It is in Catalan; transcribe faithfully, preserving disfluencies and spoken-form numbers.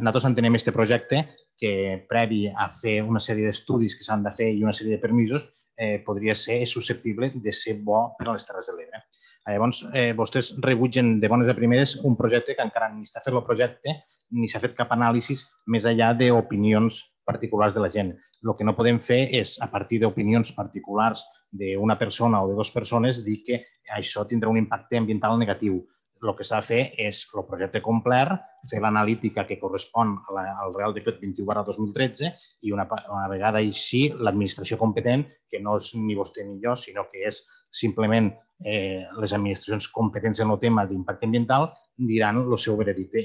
Nosaltres entenem aquest projecte que, previ a fer una sèrie d'estudis que s'han de fer i una sèrie de permisos, podria ser susceptible de ser bo per a les Terres de l'Ebre. Llavors, vostès rebutgen de bones a primeres un projecte que encara ni està fet el projecte ni s'ha fet cap anàlisi més enllà d'opinions particulars de la gent. El que no podem fer és, a partir d'opinions particulars d'una persona o de dues persones, dir que això tindrà un impacte ambiental negatiu. El que s'ha de fer és el projecte complet, fer l'analítica que correspon al Reial Decret vint-i-u barra dos mil tretze i una vegada així l'administració competent, que no és ni vostè ni jo, sinó que és simplement les administracions competents en el tema d'impacte ambiental, diran el seu veredicte.